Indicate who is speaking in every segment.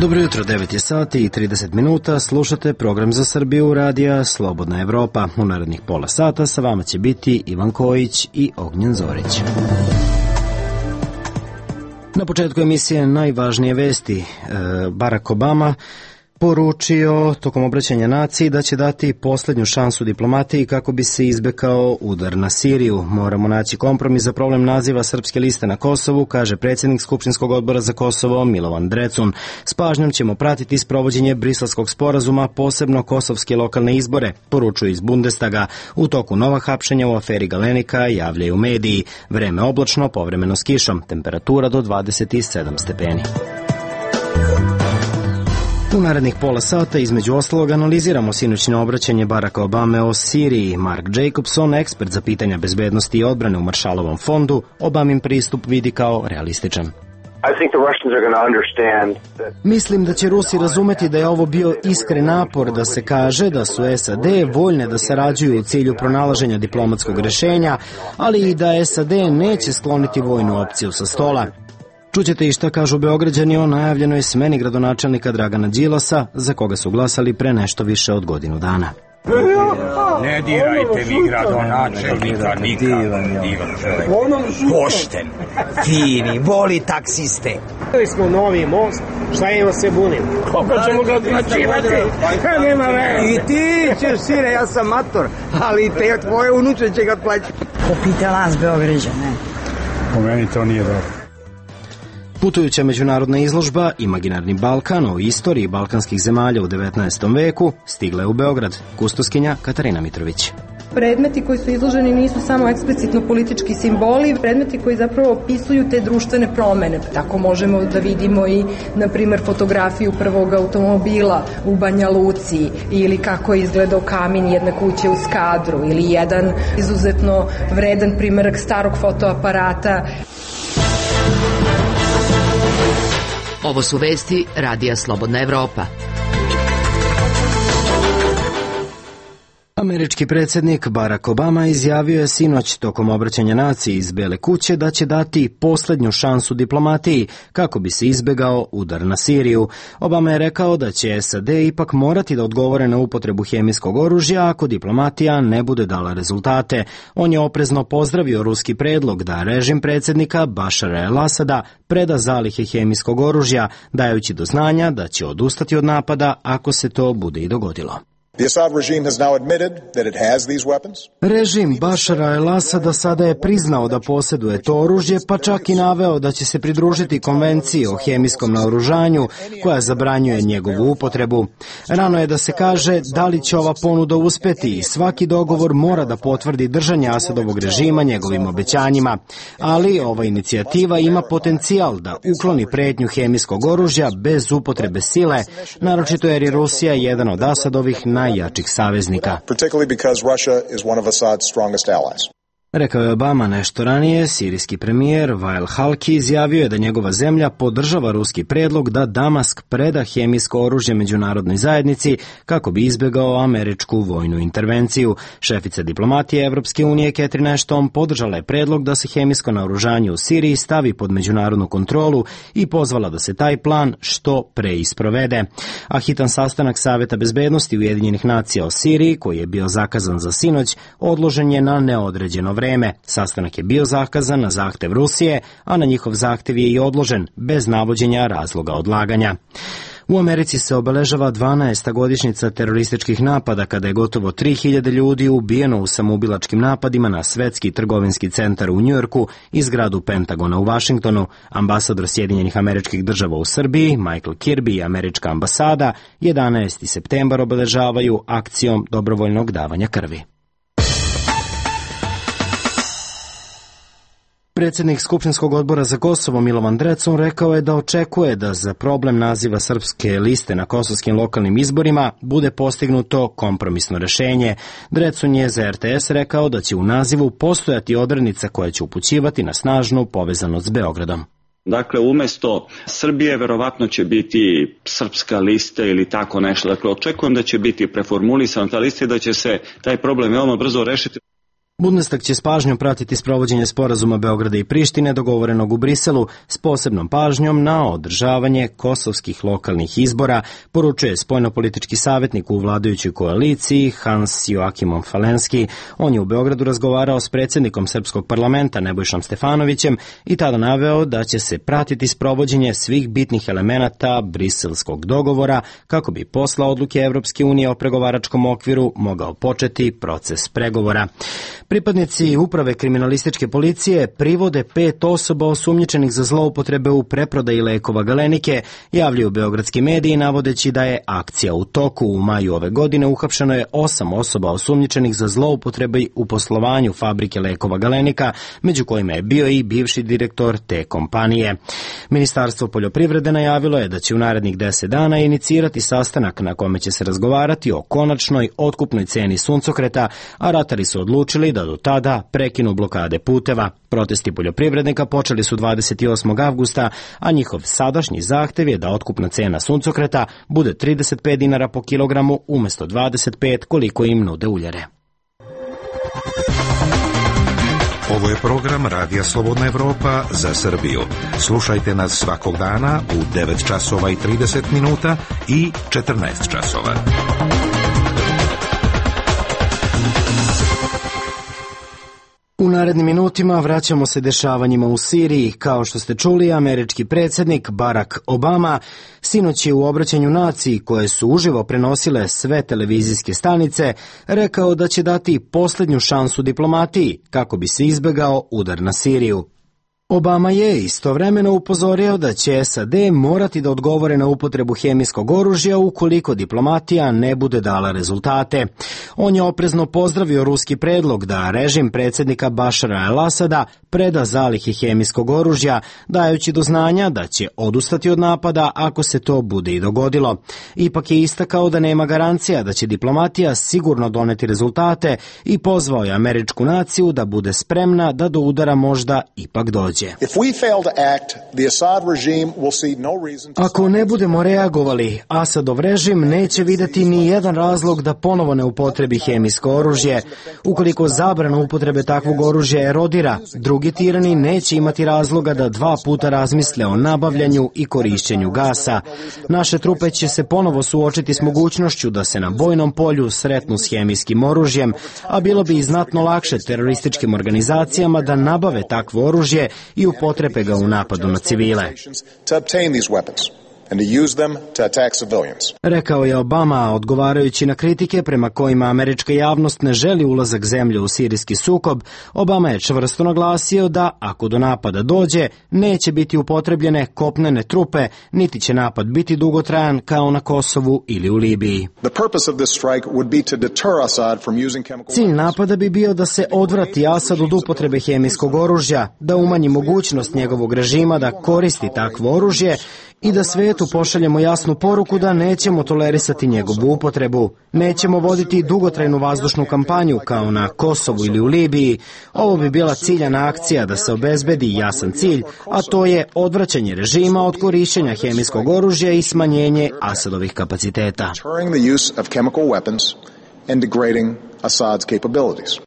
Speaker 1: Dobro jutro, 9 je sati i 30 minuta, slušate program za Srbiju radija Slobodna Evropa. U narednih pola sata sa vama će biti Ivan Kojić i Ognjen Zorić. Na početku emisije najvažnije vesti. Barack Obama poručio tokom obraćanja naciji da će dati poslednju šansu diplomatiji kako bi se izbegao udar na Siriju. Moramo naći kompromis za problem naziva Srpske liste na Kosovu, kaže predsjednik Skupštinskog odbora za Kosovo Milovan Drecun. S pažnjom ćemo pratiti sprovođenje Briselskog sporazuma, posebno kosovske lokalne izbore, poručuju iz Bundestaga. U toku nova hapšenja u aferi Galenika javljaju mediji. Vreme oblačno, povremeno s kišom, temperatura do 27 stepeni. U narednih pola sata između ostalog analiziramo sinoćno obraćanje Baracka Obame o Siriji. Mark Jacobson, ekspert za pitanja bezbednosti i odbrane u Maršalovom fondu, Obamin pristup vidi kao realističan. Mislim da će Rusi razumeti da je ovo bio iskren napor da se kaže da su SAD voljne da sarađuju u cilju pronalaženja diplomatskog rešenja, ali i da SAD neće skloniti vojnu opciju sa stola. Čućete i šta kažu Beograđani o najavljenoj smeni gradonačelnika Dragana Đilasa, za koga su glasali pre nešto više od godinu dana.
Speaker 2: Ne dirajte mi gradonačelnika nikada, divan čovjek. Pošten, fini, voli taksiste.
Speaker 3: Htjeli smo novi most, šta ima se bunim? Kako ćemo ga odplaćivati? Nema veze.
Speaker 4: I ti ćeš, sine, ja sam mator, ali te tvoje unuče će ga plaćati.
Speaker 5: Popite nas Beograđane.
Speaker 2: Po meni to nije dobro.
Speaker 1: Putujuća međunarodna izložba Imaginarni Balkan o istoriji balkanskih zemalja u 19. veku stigla je u Beograd. Kustoskinja Katarina Mitrović.
Speaker 6: Predmeti koji su izloženi nisu samo eksplicitno politički simboli, predmeti koji zapravo opisuju te društvene promene. Tako možemo da vidimo i, na primjer, fotografiju prvog automobila u Banja Luci ili kako je izgledao kamin jedne kuće u Skadru ili jedan izuzetno vredan primjerak starog fotoaparata.
Speaker 7: Ovo su vesti Radija Slobodna Evropa.
Speaker 1: Američki predsjednik Barack Obama izjavio je sinoć tokom obraćanja naciji iz Bele kuće da će dati poslednju šansu diplomatiji kako bi se izbegao udar na Siriju. Obama je rekao da će SAD ipak morati da odgovore na upotrebu hemijskog oružja ako diplomatija ne bude dala rezultate. On je oprezno pozdravio ruski predlog da režim predsjednika Bašara el-Asada preda zalihe hemijskog oružja, dajući do znanja da će odustati od napada ako se to bude i dogodilo. Režim Bašara el-Asada sada je priznao da posjeduje to oružje, pa čak i naveo da će se pridružiti konvenciji o hemijskom naoružanju koja zabranjuje njegovu upotrebu. Rano je da se kaže da li će ova ponuda uspeti i svaki dogovor mora da potvrdi držanje Asadovog režima njegovim obećanjima, ali ova inicijativa ima potencijal da ukloni pretnju hemijskog oružja bez upotrebe sile, naročito jer je Rusija jedan od Asadovih najjačih saveznika. Rekao je Obama nešto ranije. Sirijski premijer Wael Halki izjavio je da njegova zemlja podržava ruski predlog da Damask preda hemijsko oružje međunarodnoj zajednici kako bi izbegao američku vojnu intervenciju. Šefica diplomatije Evropske unije Catherine Ashton podržala je predlog da se hemijsko naoružanje u Siriji stavi pod međunarodnu kontrolu i pozvala da se taj plan što pre isprovede. A hitan sastanak Saveta bezbednosti Ujedinjenih nacija o Siriji, koji je bio zakazan za sinoć, odložen je na neodređeno vreme. Sastanak je bio zakazan na zahtev Rusije, a na njihov zahtev je i odložen, bez navođenja razloga odlaganja. U Americi se obeležava 12. godišnjica terorističkih napada kada je gotovo 3000 ljudi ubijeno u samoubilačkim napadima na svetski trgovinski centar u Njujorku i zgradu Pentagona u Vašingtonu. Ambasador Sjedinjenih Američkih Država u Srbiji, Michael Kirby i američka ambasada 11. septembar obeležavaju akcijom dobrovoljnog davanja krvi. Predsjednik Skupštinskog odbora za Kosovo Milovan Drecun rekao je da očekuje da za problem naziva Srpske liste na kosovskim lokalnim izborima bude postignuto kompromisno rešenje. Drecun je za RTS rekao da će u nazivu postojati odrednica koja će upućivati na snažnu povezanost s Beogradom.
Speaker 8: Dakle, umjesto Srbije verovatno će biti Srpska lista ili tako nešto. Dakle, očekujem da će biti preformulisana ta lista i da će se taj problem veoma brzo rešiti.
Speaker 1: Bundestag će s pažnjom pratiti sprovođenje sporazuma Beograda i Prištine dogovorenog u Briselu s posebnom pažnjom na održavanje kosovskih lokalnih izbora, poručuje spoljnopolitički savjetnik u vladajućoj koaliciji Hans Joachimom Falenski. On je u Beogradu razgovarao s predsjednikom Srpskog parlamenta Nebojšom Stefanovićem i tada naveo da će se pratiti sprovođenje svih bitnih elemenata briselskog dogovora kako bi posle odluke Evropske unije o pregovaračkom okviru mogao početi proces pregovora. Pripadnici uprave kriminalističke policije privode 5 osoba osumnjičenih za zloupotrebe u preprodaji lekova Galenike, javljaju beogradski mediji navodeći da je akcija u toku. U maju ove godine uhapšeno je 8 osoba osumnjičenih za zloupotrebe u poslovanju fabrike lekova Galenika, među kojima je bio i bivši direktor te kompanije. Ministarstvo poljoprivrede najavilo je da će u narednih 10 dana inicirati sastanak na kome će se razgovarati o konačnoj otkupnoj ceni suncokreta, a ratari su odlučili da do tada prekinu blokade puteva. Protesti poljoprivrednika počeli su 28. avgusta, a njihov sadašnji zahtev je da otkupna cena suncokreta bude 35 dinara po kilogramu umjesto 25 koliko im nude uljare.
Speaker 9: Ovo je program Radija Slobodna Evropa za Srbiju. Slušajte nas svakog dana u 9 časova i 30 minuta i 14 časova.
Speaker 1: U narednim minutima vraćamo se dešavanjima u Siriji. Kao što ste čuli, američki predsjednik Barack Obama sinoć je u obraćanju naciji koje su uživo prenosile sve televizijske stanice rekao da će dati posljednju šansu diplomatiji kako bi se izbegao udar na Siriju. Obama je istovremeno upozorio da će SAD morati da odgovore na upotrebu hemijskog oružja ukoliko diplomatija ne bude dala rezultate. On je oprezno pozdravio ruski predlog da režim predsjednika Bašara al-Asada preda zalihe hemijskog oružja, dajući do znanja da će odustati od napada ako se to bude i dogodilo. Ipak je istakao da nema garancija da će diplomatija sigurno doneti rezultate i pozvao je američku naciju da bude spremna da do udara možda ipak dođe. Ako ne budemo reagovali, Asadov režim neće videti ni jedan razlog da ponovo ne upotrebi hemijsko oružje. Ukoliko zabrana upotrebe takvog oružja erodira, drugi tirani neće imati razloga da 2 puta razmisle o nabavljanju i korišćenju gasa. Naše trupe će se ponovo suočiti s mogućnošću da se na bojnom polju sretnu s hemijskim oružjem, a bilo bi i znatno lakše terorističkim organizacijama da nabave takvo oružje i upotrepe ga u napadu na civile. Rekao je Obama, odgovarajući na kritike prema kojima američka javnost ne želi ulazak zemlje u sirijski sukob. Obama je čvrsto naglasio da, ako do napada dođe, neće biti upotrebljene kopnene trupe, niti će napad biti dugotrajan kao na Kosovu ili u Libiji. Cilj napada bi bio da se odvrati Asad od upotrebe hemijskog oružja, da umanji mogućnost njegovog režima da koristi takvo oružje i da svetu pošaljemo jasnu poruku da nećemo tolerisati njegovu upotrebu. Nećemo voditi dugotrajnu vazdušnu kampanju kao na Kosovu ili u Libiji. Ovo bi bila ciljana akcija da se obezbedi jasan cilj, a to je odvraćanje režima od korišćenja hemijskog oružja i smanjenje Asadovih kapaciteta.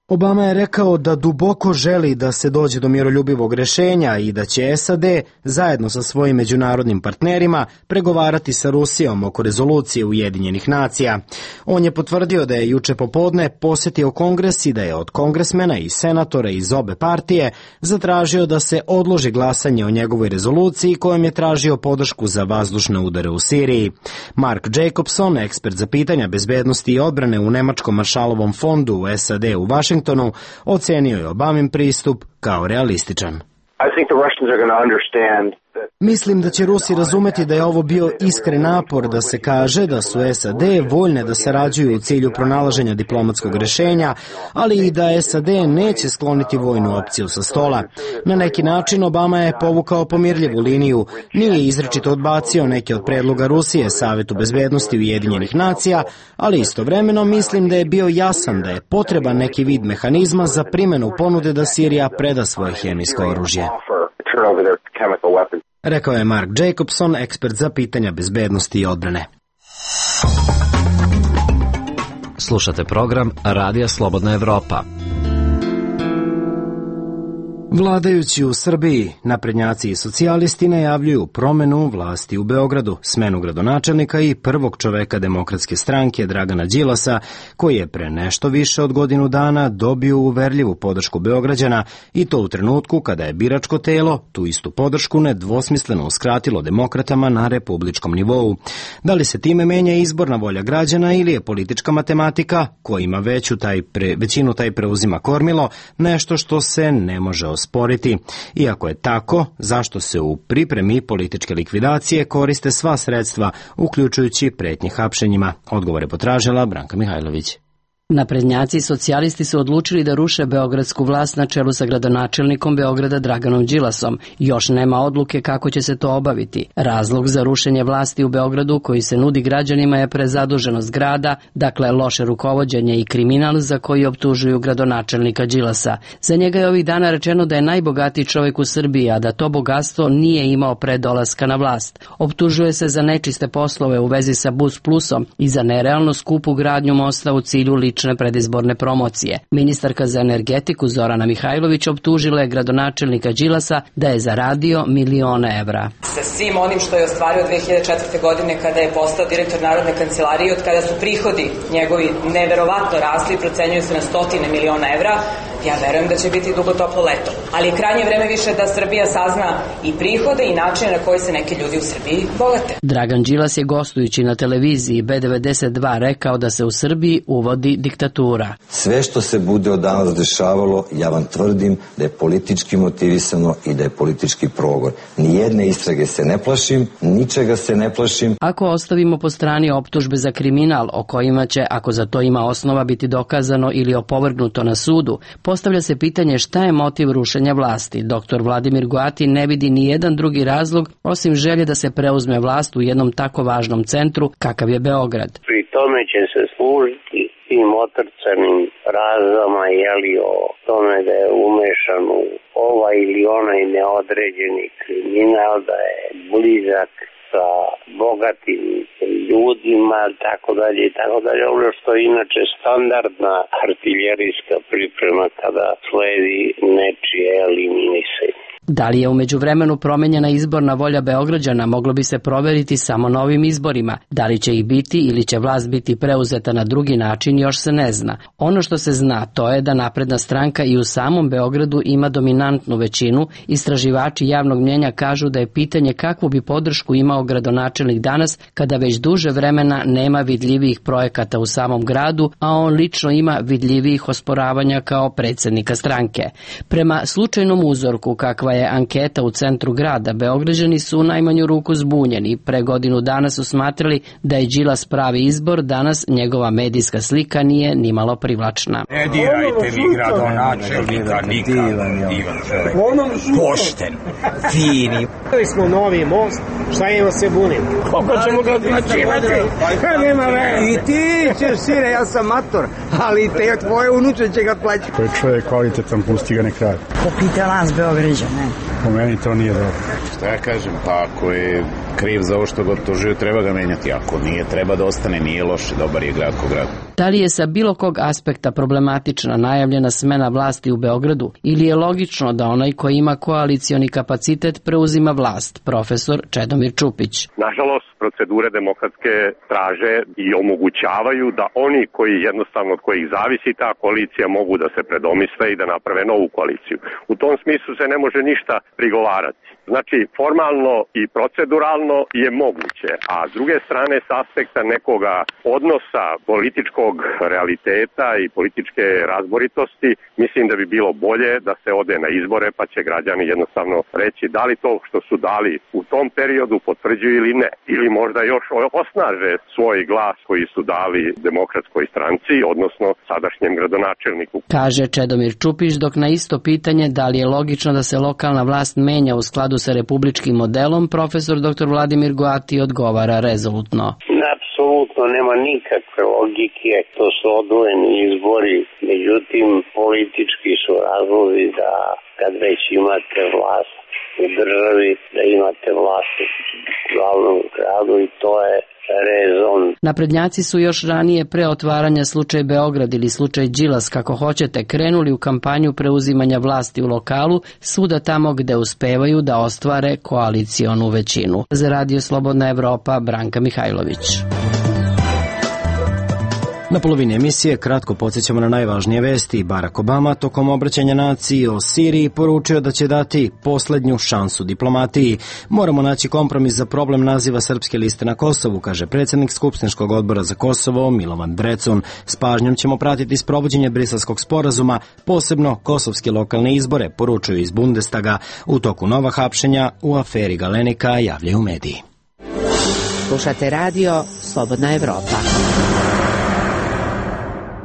Speaker 1: Obama je rekao da duboko želi da se dođe do miroljubivog rješenja i da će SAD zajedno sa svojim međunarodnim partnerima pregovarati sa Rusijom oko rezolucije Ujedinjenih nacija. On je potvrdio da je juče popodne posjetio Kongres i da je od kongresmena i senatora iz obe partije zatražio da se odloži glasanje o njegovoj rezoluciji kojom je tražio podršku za vazdušne udare u Siriji. Mark Jacobson, ekspert za pitanja bezbednosti i odbrane u Nemačkom Maršalovom fondu u SAD u Vašingtonu, ocenio je Obamin pristup kao realističan. Mislim da će Rusi razumeti da je ovo bio iskren napor da se kaže da su SAD voljne da sarađuju u cilju pronalaženja diplomatskog rješenja, ali i da SAD neće skloniti vojnu opciju sa stola. Na neki način Obama je povukao pomirljivu liniju, nije izričito odbacio neke od predloga Rusije Savetu bezbednosti Ujedinjenih nacija, ali istovremeno mislim da je bio jasan da je potreban neki vid mehanizma za primjenu ponude da Sirija preda svoje hemijsko oružje. Rekao je Mark Jacobson, ekspert za pitanja bezbednosti i odbrane.
Speaker 10: Slušate program Radija Slobodna Evropa.
Speaker 1: Vladajući u Srbiji, naprednjaci i socijalisti najavljuju promenu vlasti u Beogradu, smenu gradonačelnika i prvog čoveka Demokratske stranke Dragana Đilasa, koji je pre nešto više od godinu dana dobio uverljivu podršku Beograđana i to u trenutku kada je biračko telo tu istu podršku nedvosmisleno uskratilo demokratama na republičkom nivou. Da li se time menja izborna volja građana ili je politička matematika, ko ima većinu taj preuzima kormilo, nešto što se ne može osporiti. Iako je tako, zašto se u pripremi političke likvidacije koriste sva sredstva, uključujući pretnje hapšenjima? Odgovor je potražila Branka Mihajlović.
Speaker 10: Naprednjaci i socijalisti su odlučili da ruše beogradsku vlast na čelu sa gradonačelnikom Beograda Draganom Đilasom. Još nema odluke kako će se to obaviti. Razlog za rušenje vlasti u Beogradu koji se nudi građanima je prezaduženost grada, dakle loše rukovođenje i kriminal za koji optužuju gradonačelnika Đilasa. Za njega je ovih dana rečeno da je najbogatiji čovjek u Srbiji, a da to bogatstvo nije imao pre dolaska na vlast. Optužuje se za nečiste poslove u vezi sa Bus Plusom i za nerealno skupu gradnju mosta u cilju lične predizborne promocije. Ministarka za energetiku Zorana Mihajlović optužila je gradonačelnika Đilasa da je zaradio milione evra.
Speaker 11: Sa svim onim što je ostvario 2004. godine kada je postao direktor Narodne kancelarije, od kada su prihodi njegovi neverovatno rasli, procenjuju se na stotine miliona evra, ja verujem da će biti dugo toplo leto. Ali je krajnje vreme više da Srbija sazna i prihode i načine na koji se neki ljudi u Srbiji bogate.
Speaker 10: Dragan Đilas je gostujući na televiziji B92 rekao da se u Srbiji uvodi diktatura.
Speaker 12: Sve što se bude od danas dešavalo, ja vam tvrdim da je politički motivisano i da je politički progon. Nijedne istrage se ne plašim, ničega se ne plašim.
Speaker 10: Ako ostavimo po strani optužbe za kriminal, o kojima će, ako za to ima osnova, biti dokazano ili opovrgnuto na sudu, postavlja se pitanje šta je motiv rušenja vlasti. Dr. Vladimir Goati ne vidi ni jedan drugi razlog osim želje da se preuzme vlast u jednom tako važnom centru kakav je Beograd.
Speaker 13: Pri tome će se služiti tim otrcanim razama, o tome da je umešan u ovaj ili onaj neodređeni kriminal, da je blizak sa bogatim ljudima, tako dalje. Ono što je inače standardna artiljerijska priprema kada sledi nečije eliminisanje.
Speaker 10: Da li je u međuvremenu promenjena izborna volja Beograđana moglo bi se proveriti samo novim izborima. Da li će ih biti ili će vlast biti preuzeta na drugi način još se ne zna. Ono što se zna to je da napredna stranka i u samom Beogradu ima dominantnu većinu. Istraživači javnog mnjenja kažu da je pitanje kakvu bi podršku imao gradonačelnik danas kada već duže vremena nema vidljivijih projekata u samom gradu, a on lično ima vidljivijih osporavanja kao predsjednika stranke. Prema slučajnom uzorku kakva je anketa u centru grada, Beograđani su u najmanju ruku zbunjeni. Pre godinu dana su smatrali da je Đilas pravi izbor, danas njegova medijska slika nije nimalo privlačna.
Speaker 2: Ne dirajte mi gradonačelnika nikad, divan čovjek, pošten, fini.
Speaker 3: Imali smo novi most, šta ima se bunim? Koliko ćemo ga odplaćivati? Nema veze.
Speaker 4: I ti ćeš, sine, ja sam mator, ali te tvoje unuče će ga plaćati.
Speaker 2: Ko je čovjek kvalitetan, pusti ga nek radi.
Speaker 5: Popite nas Beograđane.
Speaker 2: Po meni to nije dobro.
Speaker 14: Šta ja kažem, pa ako je kriv za ovo što ga optužuju, treba ga menjati. Ako nije, treba da ostane, nije loše, dobar je grad ko grad.
Speaker 10: Da li je sa bilo kog aspekta problematična najavljena smena vlasti u Beogradu ili je logično da onaj koji ima koalicioni kapacitet preuzima vlast? Profesor Čedomir Čupić.
Speaker 15: Nažalost, procedure demokratske traže i omogućavaju da oni koji jednostavno od kojih zavisi ta koalicija mogu da se predomisle i da naprave novu koaliciju. U tom smislu se ne može ništa prigovarati. Znači, formalno i proceduralno je moguće, a s druge strane s aspekta nekoga odnosa političkog realiteta i političke razboritosti, mislim da bi bilo bolje da se ode na izbore pa će građani jednostavno reći da li to što su dali u tom periodu potvrđuju ili ne. Ili možda još osnaže svoj glas koji su dali Demokratskoj stranci, odnosno sadašnjem gradonačelniku.
Speaker 10: Kaže Čedomir Čupić, dok na isto pitanje da li je logično da se lokalna vlast menja u skladu sa republičkim modelom, profesor dr. Vladimir Goati odgovara rezolutno.
Speaker 13: Apsolutno nema nikakve logike, to su odvojeni izbori, međutim politički su razlozi da kad već imate vlast u državi, da imate vlast u glavnom gradu i to je rezon.
Speaker 10: Naprednjaci su još ranije pre otvaranja slučaj Beograd ili slučaj Đilas, kako hoćete, krenuli u kampanju preuzimanja vlasti u lokalu, svuda tamo gde uspevaju da ostvare koalicionu većinu. Za Radio Slobodna Evropa, Branka Mihajlović.
Speaker 1: Na polovini emisije kratko podsjećamo na najvažnije vesti. Barack Obama tokom obraćanja naciji o Siriji poručio da će dati poslednju šansu diplomatiji. Moramo naći kompromis za problem naziva Srpske liste na Kosovu, kaže predsjednik Skupštinskog odbora za Kosovo Milovan Drecun. S pažnjom ćemo pratiti sprovođenje Briselskog sporazuma, posebno kosovske lokalne izbore, poručuju iz Bundestaga. U toku nova hapšenja u aferi Galenika javljaju mediji.
Speaker 7: Slušate radio Slobodna Evropa.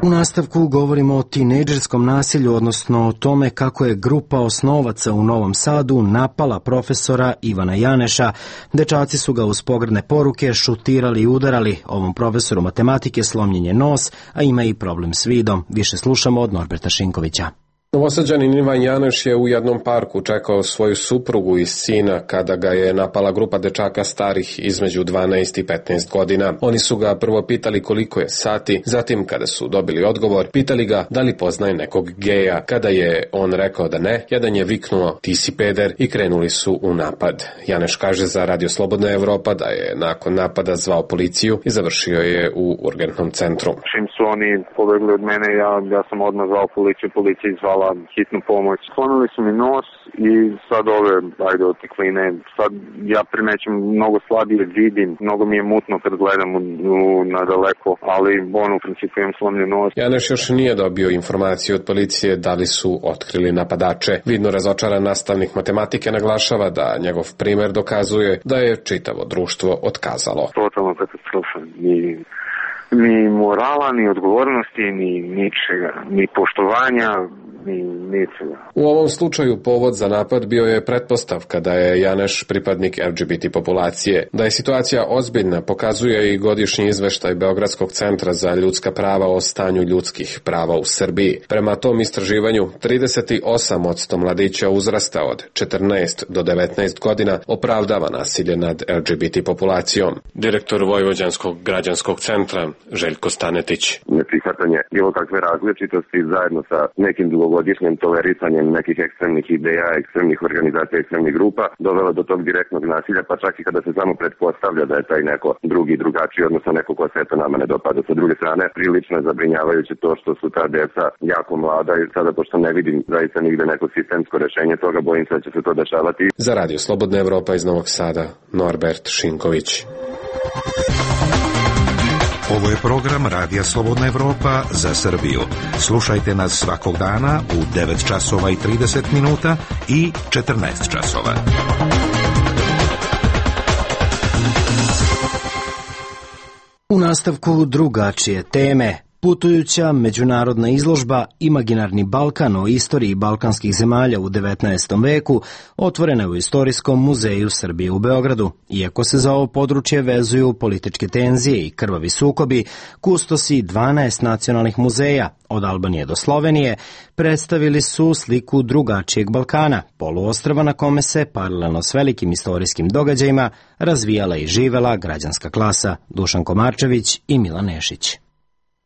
Speaker 1: U nastavku govorimo o tinejdžerskom nasilju, odnosno o tome kako je grupa osnovaca u Novom Sadu napala profesora Ivana Janeša. Dečaci su ga uz pogrdne poruke šutirali i udarali. Ovom profesoru matematike slomljen je nos, a ima i problem s vidom. Više slušamo od Norberta Šinkovića.
Speaker 16: Novosađanin Ivan Janeš je u jednom parku čekao svoju suprugu i sina kada ga je napala grupa dečaka starih između 12 i 15 godina. Oni su ga prvo pitali koliko je sati, zatim kada su dobili odgovor, pitali ga da li poznaje nekog geja. Kada je on rekao da ne, jedan je viknuo ti si peder i krenuli su u napad. Janeš kaže za Radio Slobodna Evropa da je nakon napada zvao policiju i završio je u urgentnom centru.
Speaker 17: Čim su oni pobegli od mene, ja sam odmah zvao policiju, policija izvala hitnu pomoć. Slomili su mi nos i sad ove, otekline, sad ja primećam mnogo slabije vidim, mnogo mi je mutno kad gledam na daleko, ali u principu imam slomljen nos.
Speaker 16: Janeš još nije dobio informaciju od policije da li su otkrili napadače. Vidno razočaran nastavnik matematike naglašava da njegov primer dokazuje da je čitavo društvo otkazalo.
Speaker 17: Totalno katastrofa. Ni morala, ni odgovornosti, ni ničega, ni poštovanja, ni ničega.
Speaker 16: U ovom slučaju povod za napad bio je pretpostavka da je Janeš pripadnik LGBT populacije. Da je situacija ozbiljna pokazuje i godišnji izveštaj Beogradskog centra za ljudska prava o stanju ljudskih prava u Srbiji. Prema tom istraživanju, 38% mladića uzrasta od 14 do 19 godina opravdava nasilje nad LGBT populacijom. Direktor Vojvođanskog građanskog centra Željko Stanetić.
Speaker 18: Neprihvatanje bilo kakve različitosti zajedno sa nekim dugogodišnjim tolerisanjem nekih ekstremnih ideja, ekstremnih organizacija, ekstremnih grupa dovelo do tog direktnog nasilja, pa čak i kada se samo pretpostavlja da je taj neko drugačiji, odnosno neko ko se eto nama ne dopada. Sa druge strane, prilično je zabrinjavajuće to što su ta deca jako mlada i sada pošto ne vidim zaista nigde neko sistemsko rešenje toga, bojim se da će se to dešavati.
Speaker 16: Za Radio Slobodna Evropa iz Novog Sada, Norbert Šinković.
Speaker 9: Ovo je program Radija Slobodna Evropa za Srbiju. Slušajte nas svakog dana u 9 časova i 30 minuta i 14 časova.
Speaker 1: U nastavku drugačije teme. Putujuća međunarodna izložba Imaginarni Balkan o istoriji balkanskih zemalja u 19. veku otvorena je u Istorijskom muzeju Srbije u Beogradu. Iako se za ovo područje vezuju političke tenzije i krvavi sukobi, kustosi 12 nacionalnih muzeja, od Albanije do Slovenije, predstavili su sliku drugačijeg Balkana, poluostrva na kome se, paralelno s velikim istorijskim događajima, razvijala i živela građanska klasa. Dušan Komarčević i Milan Nešić.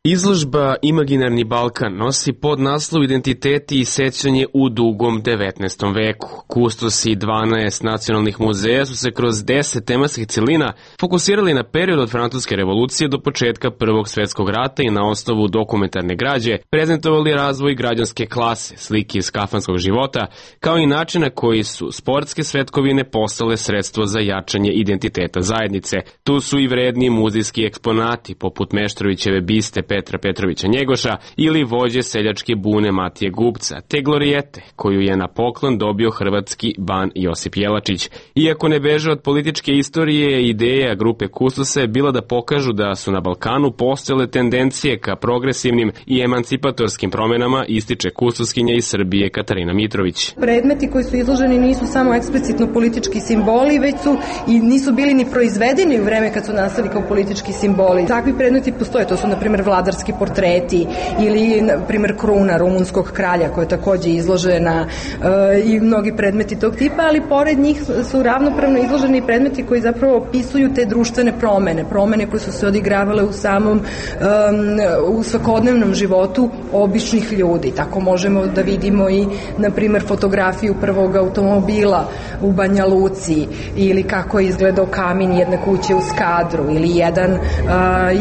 Speaker 19: Izložba Imaginarni Balkan nosi podnaslov Identiteti i sećanje u dugom 19. veku. Kustosi 12 nacionalnih muzeja su se kroz 10 tematskih celina fokusirali na period od Francuske revolucije do početka Prvog svjetskog rata i na osnovu dokumentarne građe prezentovali razvoj građanske klase, slike iz kafanskog života, kao i načina koji su sportske svetkovine postale sredstvo za jačanje identiteta zajednice. Tu su i vredni muzejski eksponati poput Meštrovićeve biste Petra Petrovića Njegoša ili vođe seljačke bune Matije Gubca, te glorijete koju je na poklon dobio hrvatski ban Josip Jelačić. Iako ne beže od političke istorije, ideja grupe kustosa je bila da pokažu da su na Balkanu postojale tendencije ka progresivnim i emancipatorskim promenama, ističe kustoskinja iz Srbije Katarina Mitrović.
Speaker 6: Predmeti koji su izloženi nisu samo eksplicitno politički simboli, već su i nisu bili ni proizvedeni u vreme kad su nastali kao politički simboli. Takvi predmeti postoje, to su na primjer vladarski portreti ili, na primjer, kruna rumunskog kralja koja je takođe izložena i mnogi predmeti tog tipa, ali pored njih su ravnopravno izloženi predmeti koji zapravo opisuju te društvene promene koje su se odigravale u svakodnevnom životu običnih ljudi. Tako možemo da vidimo i, na primjer, fotografiju prvog automobila u Banja Luci ili kako je izgledao kamin jedne kuće u Skadru ili jedan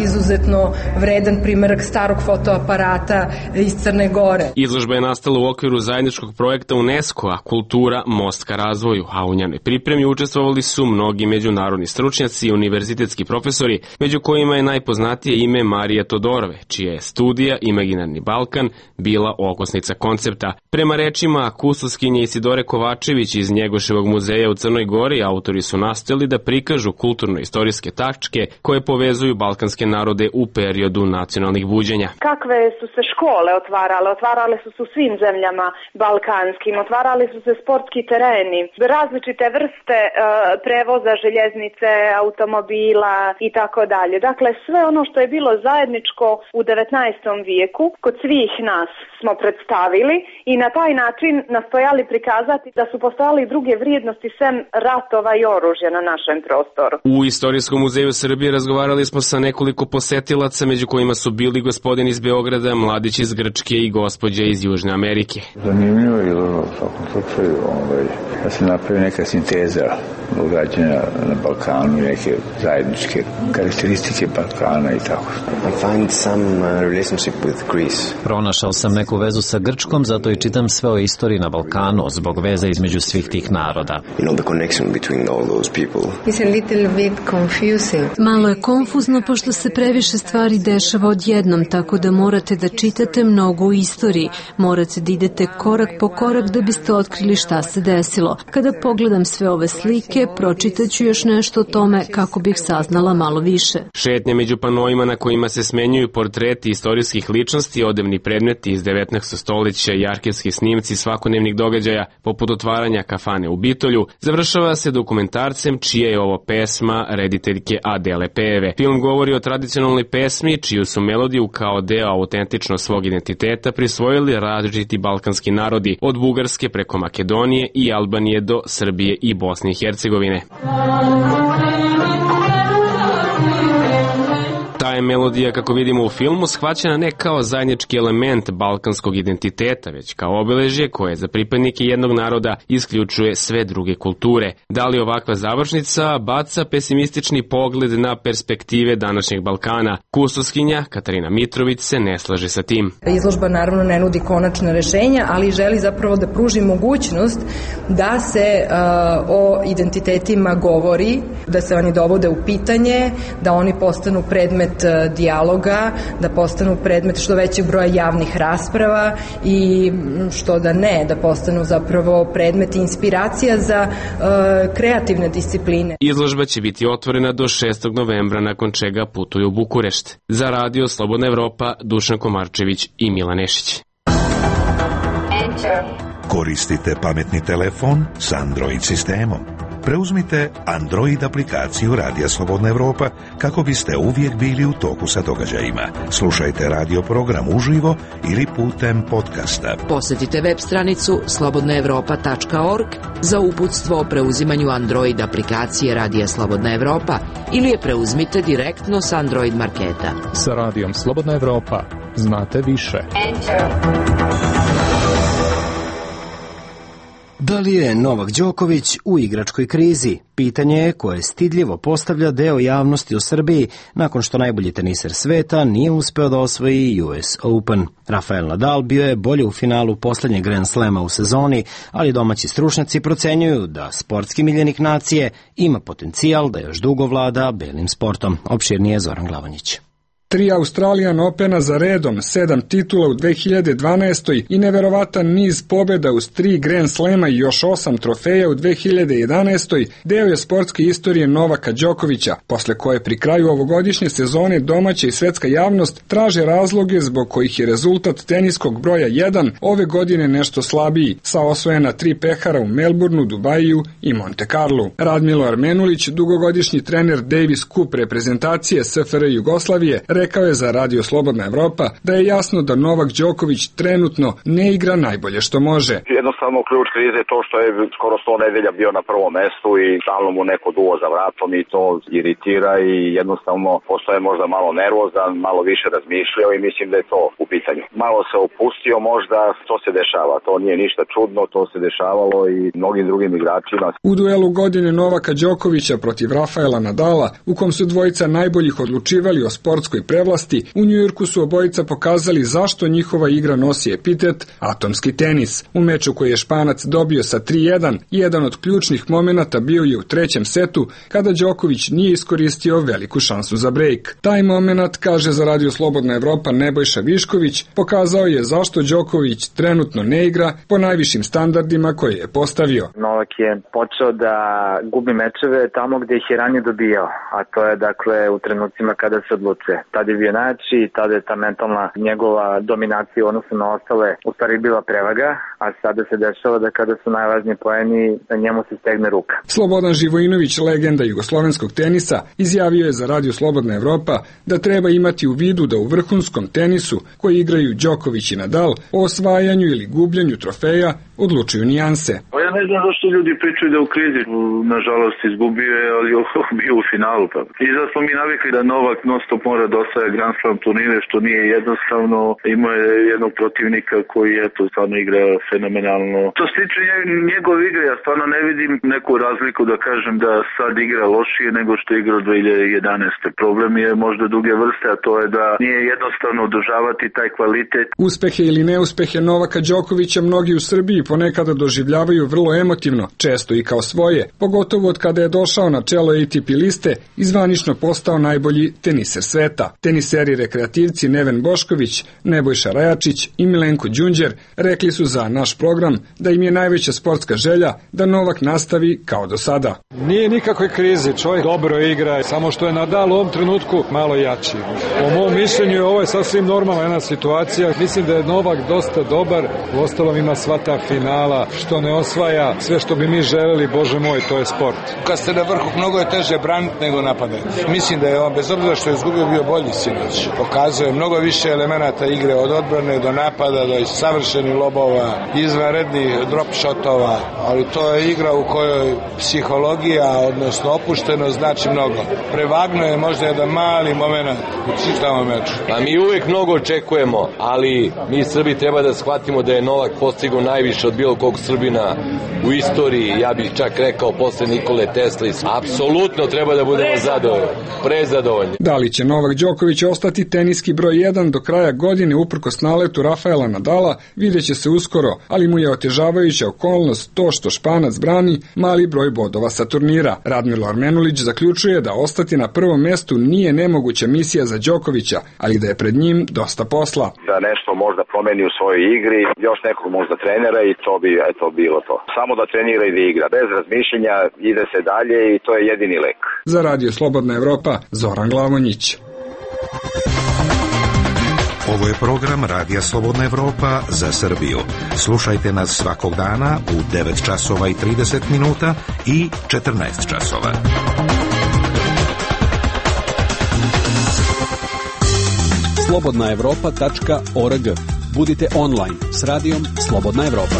Speaker 6: izuzetno vredan primerak starog fotoaparata iz Crne Gore.
Speaker 19: Izložba je nastala u okviru zajedničkog projekta UNESCO-a Kultura most ka razvoju, a u njenoj pripremi učestvovali su mnogi međunarodni stručnjaci i univerzitetski profesori, među kojima je najpoznatije ime Marije Todorove, čija je studija Imaginarni Balkan bila okosnica koncepta. Prema rečima kustoskinje Isidore Kovačević iz Njegoševog muzeja u Crnoj Gori, autori su nastojali da prikažu kulturno-istorijske tačke koje povezuju balkanske narode u periodu nacionalnih buđenja.
Speaker 20: Kakve su se škole otvarale su se u svim zemljama balkanskim, otvarali su se sportski tereni, različite vrste prevoza, željeznice, automobila i tako dalje. Dakle, sve ono što je bilo zajedničko u 19. vijeku kod svih nas smo predstavili i na taj način nastojali prikazati da su postojali druge vrijednosti sem ratova i oružja na našem prostoru.
Speaker 19: U Istorijskom muzeju Srbije razgovarali smo sa nekoliko posetilaca, među kojima su bili gospodin iz Beograda, mladić iz Grčke i gospođa iz Južne Amerike.
Speaker 21: Zanimljivo je u svakom slučaju da se napravi neka sinteza događanja na Balkanu i neke zajedničke karakteristike Balkana i tako.
Speaker 22: Pronašao sam neku vezu sa Grčkom, zato i čitam sve o istoriji na Balkanu zbog veze između svih tih naroda.
Speaker 23: Malo je konfuzno pošto se previše stvari dešava odjednom, tako da morate da čitate mnogo u istoriji. Morate da idete korak po korak da biste otkrili šta se desilo. Kada pogledam sve ove slike, pročitaću još nešto o tome kako bih saznala malo više.
Speaker 19: Šetnje među panoima na kojima se smenjuju portreti istorijskih ličnosti, odevni predmeti iz 19. stoljeća i arhivski snimci svakodnevnih događaja, poput otvaranja kafane u Bitolju, završava se dokumentarcem čija je ovo pesma rediteljke Adele Peve. Film govori o tradicionalnoj pesmi čiju su melodiju kao deo autentično svog identiteta prisvojili različiti balkanski narodi, od Bugarske preko Makedonije i Albanije do Srbije i Bosne i Hercegovine. Ta je melodija, kako vidimo u filmu, shvaćena ne kao zajednički element balkanskog identiteta, već kao obeležje koje za pripadnike jednog naroda isključuje sve druge kulture. Da li ovakva završnica baca pesimistični pogled na perspektive današnjeg Balkana? Kustoskinja Katarina Mitrović se ne slaže sa tim.
Speaker 6: Izložba naravno ne nudi konačna rešenja, ali želi zapravo da pruži mogućnost da se o identitetima govori, da se oni dovode u pitanje, da oni postanu predmet dijaloga, da postanu predmet što većeg broja javnih rasprava i što da postanu zapravo predmet inspiracija za kreativne discipline.
Speaker 19: Izložba će biti otvorena do 6. novembra, nakon čega putuju u Bukurešt. Za Radio Slobodna Evropa, Dušan Komarčević i Milan Nešić.
Speaker 9: Koristite pametni telefon s Android sistemom. Preuzmite Android aplikaciju Radija Slobodna Evropa kako biste uvijek bili u toku sa događajima. Slušajte radio program uživo ili putem podcasta.
Speaker 7: Posjetite web stranicu slobodnaevropa.org za uputstvo o preuzimanju Android aplikacije Radija Slobodna Evropa ili je preuzmite direktno s Android marketa.
Speaker 24: Sa Radijom Slobodna Evropa znate više.
Speaker 1: Da li je Novak Đoković u igračkoj krizi? Pitanje je koje stidljivo postavlja deo javnosti u Srbiji nakon što najbolji teniser sveta nije uspeo da osvoji US Open. Rafael Nadal bio je bolje u finalu poslednjeg Grand Slema u sezoni, ali domaći stručnjaci procenjuju da sportski miljenik nacije ima potencijal da još dugo vlada belim sportom. Opširnije Zoran Glavanjić.
Speaker 25: 3 Australian Opena za redom, 7 titula u 2012. i neverovatan niz pobjeda uz 3 Grand Slema i još 8 trofeja u 2011. deo je sportske istorije Novaka Đokovića, posle koje pri kraju ovogodišnje sezone domaća i svetska javnost traže razloge zbog kojih je rezultat teniskog broja 1 ove godine nešto slabiji, sa osvojena 3 pehara u Melbourneu, Dubaju i Monte Carlu. Radmilo Armenulić, dugogodišnji trener Davis Cup reprezentacije SFRJ Jugoslavije, rekao je za Radio Slobodna Evropa da je jasno da Novak Đoković trenutno ne igra najbolje što može.
Speaker 3: Jednostavno ključ krize je to što je skoro 100 nedelja bio na prvom mestu i stalno mu neko duo za vratom i to iritira i jednostavno postaje možda malo nervozan, malo više razmišljao i mislim da je to u pitanju. Malo se opustio možda, to se dešava, to nije ništa čudno, to se dešavalo i mnogim drugim igračima.
Speaker 25: U duelu godine Novaka Đokovića protiv Rafaela Nadala, u kom su dvojica najboljih odlučivali o sportskoj prevlasti, u Njujorku su obojica pokazali zašto njihova igra nosi epitet atomski tenis. U meču koji je Španac dobio sa 3:1, jedan od ključnih momenata bio je u trećem setu, kada Đoković nije iskoristio veliku šansu za brejk. Taj moment, kaže za Radio Slobodna Evropa Nebojša Višković, pokazao je zašto Đoković trenutno ne igra po najvišim standardima koje je postavio.
Speaker 4: Novak je počeo da gubi mečeve tamo gde ih je ranije dobijao, a to je dakle u trenucima kada se odlučuje. Tad je bio najjači i tada je ta mentalna njegova dominacija odnosno na ostale u stvari bila prevaga, a sada se dešava da kada su najvažniji poeni, njemu se stegne ruka.
Speaker 25: Slobodan Živojinović, legenda jugoslovenskog tenisa, izjavio je za Radio Slobodna Evropa da treba imati u vidu da u vrhunskom tenisu, koji igraju Đoković i Nadal, o osvajanju ili gubljenju trofeja odlučuju nijanse.
Speaker 8: Ja ne znam zašto ljudi pričaju da u krizi, nažalost izgubio je, ali bio u finalu. I zato smo mi navikli da Novak non stop mora da osvaja Grand Slam turnire, što nije jednostavno. Imao je jednog protivnika koji stvarno igra fenomenalno. To se tiče njegove igre, ja stvarno ne vidim neku razliku da kažem da sad igra lošije nego što igra od 2011. Problem je možda druge vrste, a to je da nije jednostavno održavati taj kvalitet.
Speaker 25: Uspehe ili neuspehe Novaka Đokovića mnogi u Srbiji ponekada doživljavaju vrlo emotivno, često i kao svoje, pogotovo od kada je došao na čelo ATP liste i zvanično postao najbolji teniser sveta. Teniseri rekreativci Neven Bošković, Nebojša Rajačić i Milenko Đunđer rekli su za naš program da im je najveća sportska želja da Novak nastavi kao do sada.
Speaker 11: Nije nikakve krize, čovjek dobro igra, samo što je Nadal u ovom trenutku malo jači. Po mom mišljenju ovo je sasvim normalna jedna situacija. Mislim da je Novak dosta dobar, uostalom ima sva ta finala, što ne osvaja sve što bi mi želeli, bože moj, to je sport.
Speaker 12: Kad ste na vrhu, mnogo je teže braniti nego napadati. Mislim da je on, bez obzira što je izgubio, bio bolji sinoć. Pokazuje mnogo više elemenata igre, od odbrane do napada, do savršenih lobova, izvanrednih drop shotova, ali to je igra u kojoj psihologija, odnosno opuštenost, znači mnogo. Prevagno je možda jedan mali moment u čitavom meču.
Speaker 26: A mi uvijek mnogo očekujemo, ali mi Srbi treba da shvatimo da je Novak postigao najviše od bilo kog Srbina u istoriji, ja bih čak rekao posle Nikole Tesla. Apsolutno treba da budemo zadovoljni, prezadovoljni.
Speaker 25: Da li će Novak Đoković ostati teniski broj 1 do kraja godine uprkos naletu Rafaela Nadala, vidjet će se uskoro, ali mu je otežavajuća okolnost to što Španac brani mali broj bodova sa turnira. Radmilo Armenulić zaključuje da ostati na prvom mestu nije nemoguća misija za Đokovića, ali da je pred njim dosta posla.
Speaker 3: Da nešto možda promeni u svojoj igri, još nekog možda trenera i to bi bilo to. Samo da trenira i da igra. Bez razmišljenja ide se dalje i to je jedini lek.
Speaker 25: Za Radio Slobodna Evropa, Zoran Glavonjić.
Speaker 9: Ovo je program Radija Slobodna Evropa za Srbiju. Slušajte nas svakog dana u 9 časova i 30 minuta i 14 časova.
Speaker 27: slobodnaevropa.org. Budite online s radijom Slobodna Evropa.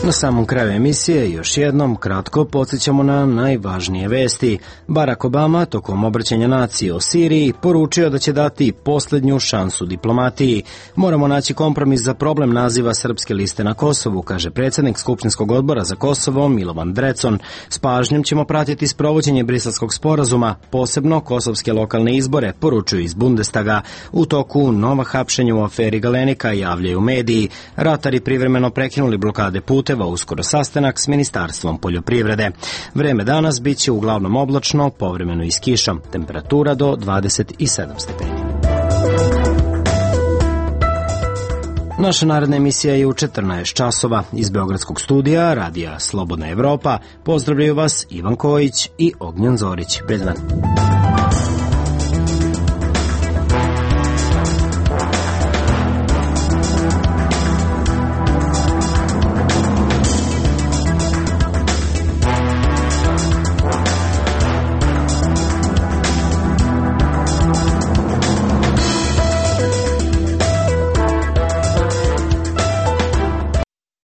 Speaker 1: Na samom kraju emisije još jednom kratko podsjećamo na najvažnije vesti. Barack Obama tokom obraćanja nacije o Siriji poručio da će dati posljednju šansu diplomatiji. Moramo naći kompromis za problem naziva Srpske liste na Kosovu, kaže predsjednik Skupštinskog odbora za Kosovo Milovan Drecon. S pažnjom ćemo pratiti sprovođenje Briselskog sporazuma, posebno kosovske lokalne izbore, poručuju iz Bundestaga. U toku nova hapšenja u aferi Galenika javljaju mediji. Ratari privremeno prekinuli blokade puteva, uskoro sastanak s Ministarstvom poljoprivrede. Vreme danas bit će uglavnom oblačno, povremeno i s kišom. Temperatura do 27 stepeni. Naša naredna emisija je u 14 časova. Iz Beogradskog studija Radija Slobodna Evropa pozdravljaju vas Ivan Kojić i Ognjen Zorić. Prijatan dan.